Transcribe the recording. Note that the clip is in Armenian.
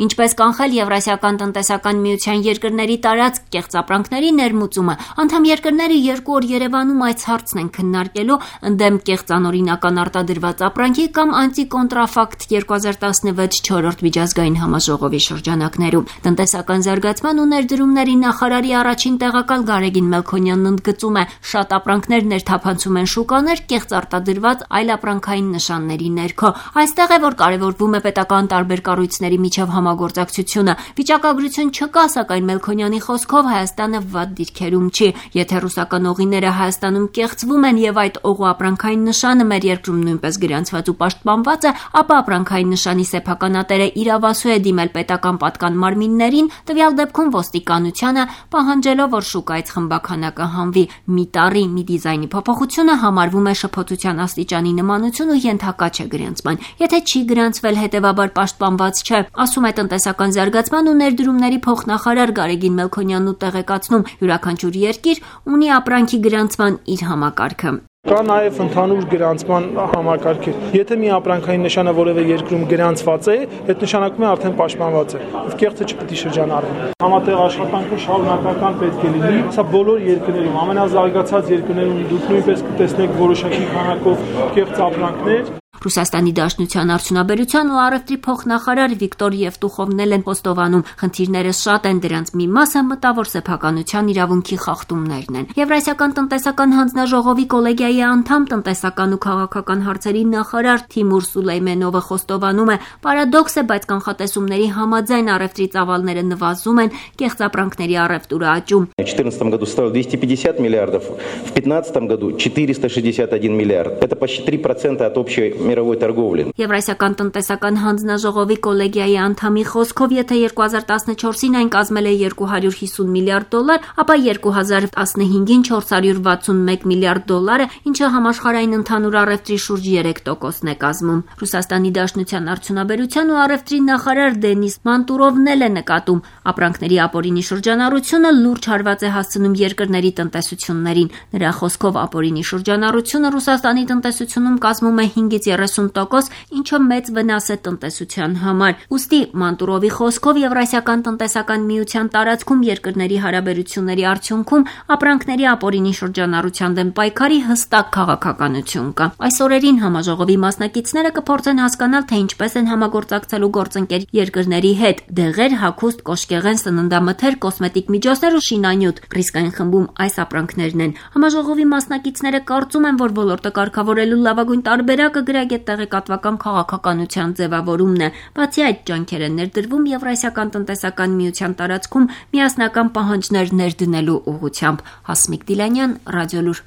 Ինչպես կանխել Եվրասիական տնտեսական միության երկրների տարածք կեղծապրանքների ներմուծումը, անդամ երկրները 2 օր Երևանում այս հարցն են քննարկելու ընդդեմ կեղծանօրինական արտադրված ապրանքի կամ անտիկոնտրաֆակտ 2016 4-րդ միջազգային համաժողովի շրջանակներում։ Տնտեսական զարգացման ու ներդրումների նախարարի առաջին տեղակալ Գարեգին Մելքոնյանն ընդգծում է, շատ ապրանքներ ներթափանցում են շուկաներ կեղծ արտադրված այլ ապրանքային նշանների ներքո։ Այստեղ է, որ կարևորվում է պետական տարբեր կառույցների միջև համագործակցությունը։ Վիճակագրություն չկա, սակայն Մելքոնյանի խոսքով Հայաստանը վատ դիրքերում չի։ Եթե ռուսական օղիները Հայաստանում կեղծվում են եւ այդ օղու ապրանքային նշանը մեր երկրում նույնպես գրանցված ու պաշտպանված է, ապա ապրանքային նշանի սեփականատերը իրավասու է դիմել պետական պատկան մարմիններին, տվյալ դեպքում ոստիկանությանը, պահանջելով, որ շուկայից խմբաքանակը հանվի։ Մի տառի, մի դիզայնի փոփոխությունը համարվում է շփոթության աստիճանի նմանություն ու ենթակա չէ գրանցման։ Եթե չի գրանցվել, հետևաբար պաշտպանված չէ, ասում է տնտեսական զարգացման ու ներդրումների փոխնախարար Գարեգին Մելքոնյանն ու տեղեկացնում, յուրաքանչյուր երկիր ունի ապրանքի գրանցման իր համակարգը։ Կա նաև ընդհանուր գրանցման համակարգեր։ Եթե մի ապրանքային նշանը որևէ երկրում գրանցված է, այդ նշանակում է արդեն պաշտպանված է։ Կեղծը չպետք է շրջանառվի։ Համատեղ աշխատանքը շարունակական պետք է լինի։ Սա բոլոր երկրներում, ամենազարգացած երկրներում դուք նույնպես կտեսնեք որոշակի քանակով կեղծ ապրանքներ։ Ռուսաստանի Դաշնության արդյունաբերության ու առևտրի փոխնախարար Վիկտոր Եվտուխովն են խոստովանում, խնդիրները շատ են, դրանց մի մասը մտավոր սեփականության իրավունքի խախտումներն են։ Եվրասիական տնտեսական հանձնաժողովի կոլեգիայի անդամ տնտեսական ու քաղաքական հարցերի նախարար Թիմուր Սուլեյմենովը խոստովանում է, պարադոքս է, բայց կանխատեսումների համաձայն առևտրի ծավալները նվազում են, կեղծապրանքների առևտուրը աճում։ В 2014 году составил 250 миллиардов, в 2015 году 461 миллиард. Это почти 3% от общей мировой торговли. Եվրասիական տնտեսական հանձնաժողովի կոլեգիայի անդամի խոսքով, եթե 2014-ին այն կազմել է $250 միլիարդ, ապա 2015-ին 461 միլիարդ $, ինչը համաշխարհային ընդհանուր առևտրի շուրջ 3%-ն է կազմում։ Ռուսաստանի Դաշնության արդյունաբերության ու առևտրի նախարար Դենիս Մանտուրովն էլ է նկատում, ապրանքների ապօրինի շրջանառությունը լուրջ հարված է հասցնում երկրների տնտեսություններին։ Նրա խոսքով ապօրինի շրջանառությունը Ռուսաստանի տնտեսությունում կազմում է 5-ից 30%, ինչը մեծ վնաս է տնտեսության համար։ Ուստի Մանտուրովի խոսքով Եվրասիական տնտեսական միության տարածքում երկրների հարաբերությունների արդյունքում ապրանքների ապօրինի շրջանառության դեմ պայքարի հստակ քաղաքականություն կա։ Այս օրերին համաժողովի մասնակիցները կփորձեն հասկանալ, թե ինչպես են համագործակցելու գործընկեր երկրների հետ։ Դեղեր, հագուստ, կոշկեղեն, սննդամթեր, կոսմետիկ միջոցներ ու շինանյութ ռիսկային խմբում այս ապրանքներն են։ Համաժողովի մասնակիցները կարծում են, որ ոլորտը կարգավորելու լավագույն տարբերակը գրագետ տեղեկատվական քաղաքականության ձևավորումն է։ Բացի այդ, ջանքեր են ներդրվում Եվրասիական տնտեսական միության տարածքում միասնական պահանջներ ներդնելու ուղղությամբ։ Հասմիկ Դիլանյան, Ռադիոլուր։